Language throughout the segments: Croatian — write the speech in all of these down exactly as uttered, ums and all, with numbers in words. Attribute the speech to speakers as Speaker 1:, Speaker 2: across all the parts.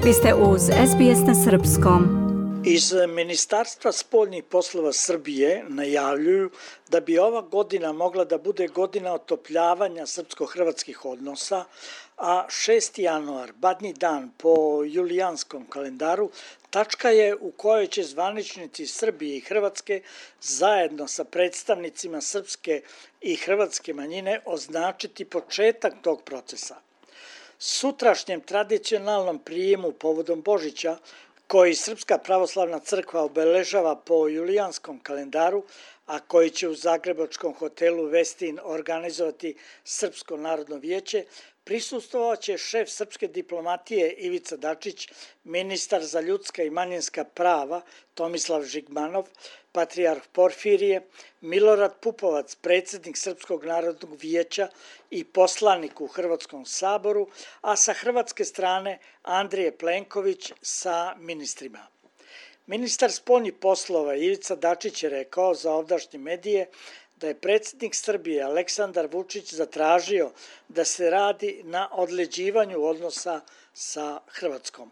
Speaker 1: Vi ste uz S B S na srpskom.
Speaker 2: Iz Ministarstva spoljnih poslova Srbije najavljuju da bi ova godina mogla da bude godina otopljavanja srpsko-hrvatskih odnosa, a šesti januar, badnji dan po julijanskom kalendaru, tačka je u kojoj će zvaničnici Srbije i Hrvatske zajedno sa predstavnicima srpske i hrvatske manjine označiti početak tog procesa. Sutrašnjem tradicionalnom prijemu povodom Božića, koji Srpska pravoslavna crkva obeležava po julijanskom kalendaru, a koji će u zagrebačkom hotelu Westin organizovati Srpsko narodno vijeće, prisustvovaće šef srpske diplomatije Ivica Dačić, ministar za ljudska i manjinska prava Tomislav Žigmanov, patrijarh Porfirije, Milorad Pupovac, predsjednik Srpskog narodnog vijeća i poslanik u Hrvatskom saboru, a sa hrvatske strane Andrije Plenković sa ministrima. Ministar spoljnih poslova Ivica Dačić je rekao za ovdašnje medije da je predsjednik Srbije Aleksandar Vučić zatražio da se radi na odleđivanju odnosa sa Hrvatskom.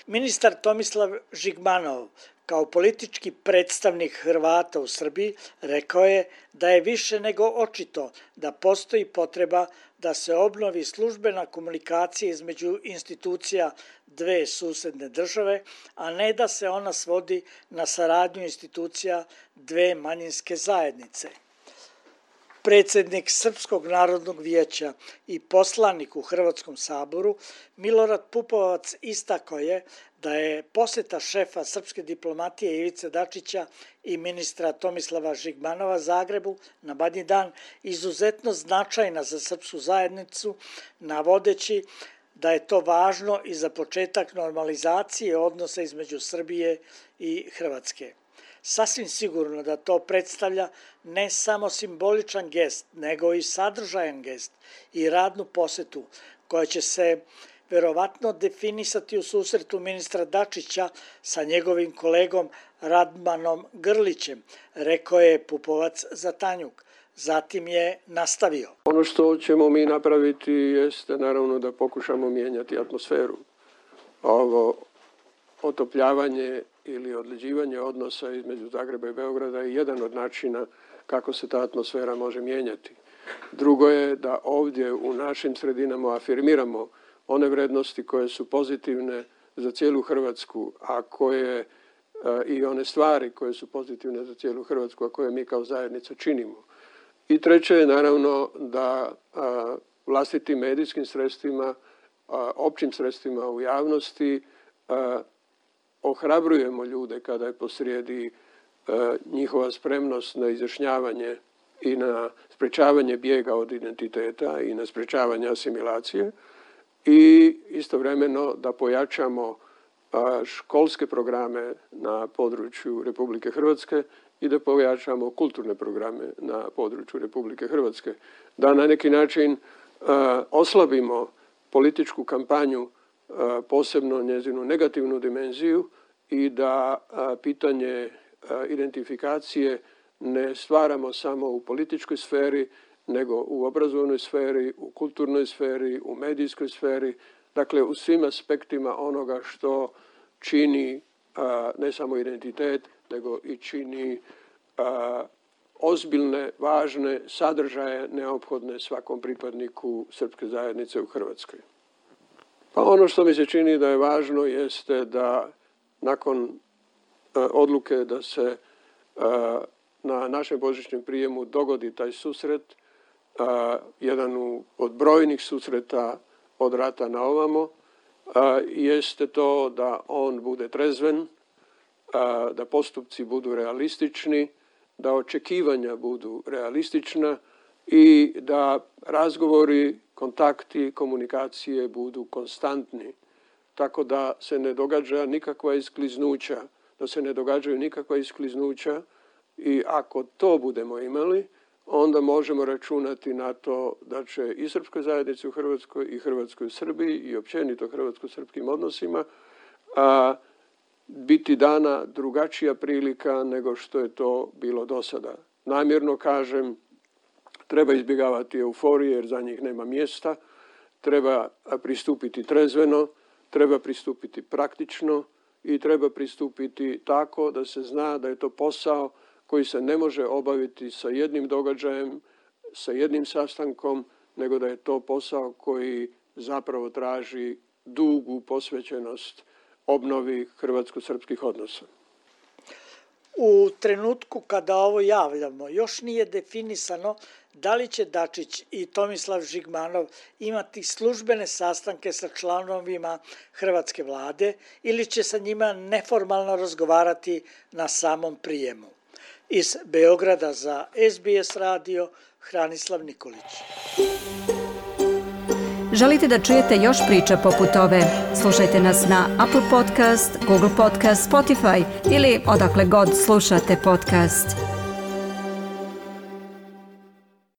Speaker 2: Ministar Tomislav Žigmanov, kao politički predstavnik Hrvata u Srbiji, rekao je da je više nego očito da postoji potreba da se obnovi službena komunikacija između institucija dve susedne države, a ne da se ona svodi na saradnju institucija dve manjinske zajednice. Predsjednik Srpskog narodnog vijeća i poslanik u Hrvatskom saboru Milorad Pupovac istakao je da je posjeta šefa srpske diplomatije Ivice Dačića i ministra Tomislava Žigmanova Zagrebu na badnji dan izuzetno značajna za srpsku zajednicu, navodeći da je to važno i za početak normalizacije odnosa između Srbije i Hrvatske. Sasvim sigurno da to predstavlja ne samo simboličan gest, nego i sadržajan gest i radnu posjetu koja će se verovatno definisati u susretu ministra Dačića sa njegovim kolegom Radmanom Grlićem, rekao je Pupovac za Tanjuk. Zatim je nastavio.
Speaker 3: Ono što ćemo mi napraviti jeste naravno da pokušamo mijenjati atmosferu. Ovo otopljavanje ili odleđivanje odnosa između Zagreba i Beograda je jedan od načina kako se ta atmosfera može mijenjati. Drugo je da ovdje u našim sredinama afirmiramo one vrednosti koje su pozitivne za cijelu Hrvatsku, a koje i one stvari koje su pozitivne za cijelu Hrvatsku, a koje mi kao zajednica činimo. I treće je naravno da a, vlastitim medijskim sredstvima, a, općim sredstvima u javnosti a, ohrabrujemo ljude kada je posrijedi a, njihova spremnost na izjašnjavanje i na sprečavanje bijega od identiteta i na sprečavanje asimilacije i istovremeno da pojačamo a, školske programe na području Republike Hrvatske i da pojačamo kulturne programe na području Republike Hrvatske. Da na neki način uh, oslabimo političku kampanju, uh, posebno njezinu negativnu dimenziju i da uh, pitanje uh, identifikacije ne stvaramo samo u političkoj sferi, nego u obrazovnoj sferi, u kulturnoj sferi, u medijskoj sferi, dakle u svim aspektima onoga što čini uh, ne samo identitet, nego i čini a, ozbiljne, važne sadržaje neophodne svakom pripadniku srpske zajednice u Hrvatskoj. Pa ono što mi se čini da je važno jeste da nakon a, odluke da se a, na našem božićnom prijemu dogodi taj susret, a, jedan od brojnih susreta od rata na ovamo, a, jeste to da on bude trezven, da postupci budu realistični, da očekivanja budu realistična i da razgovori, kontakti, komunikacije budu konstantni, tako da se ne događa nikakva iskliznuća, da se ne događaju nikakva iskliznuća i ako to budemo imali, onda možemo računati na to da će i srpskoj zajednici u Hrvatskoj i Hrvatskoj u Srbiji i općenito hrvatsko-srpskim odnosima a, biti dana drugačija prilika nego što je to bilo do sada. Namjerno kažem, treba izbjegavati euforije jer za njih nema mjesta, treba pristupiti trezveno, treba pristupiti praktično i treba pristupiti tako da se zna da je to posao koji se ne može obaviti sa jednim događajem, sa jednim sastankom, nego da je to posao koji zapravo traži dugu posvećenost obnovi hrvatsko-srpskih odnosa.
Speaker 2: U trenutku kada ovo javljamo, još nije definisano da li će Dačić i Tomislav Žigmanov imati službene sastanke sa članovima hrvatske vlade ili će sa njima neformalno razgovarati na samom prijemu. Iz Beograda za S B S radio, Hranislav Nikolić.
Speaker 1: Želite da čujete još priča poput ove? Slušajte nas na Apple Podcast, Google Podcast, Spotify ili odakle god slušate podcast.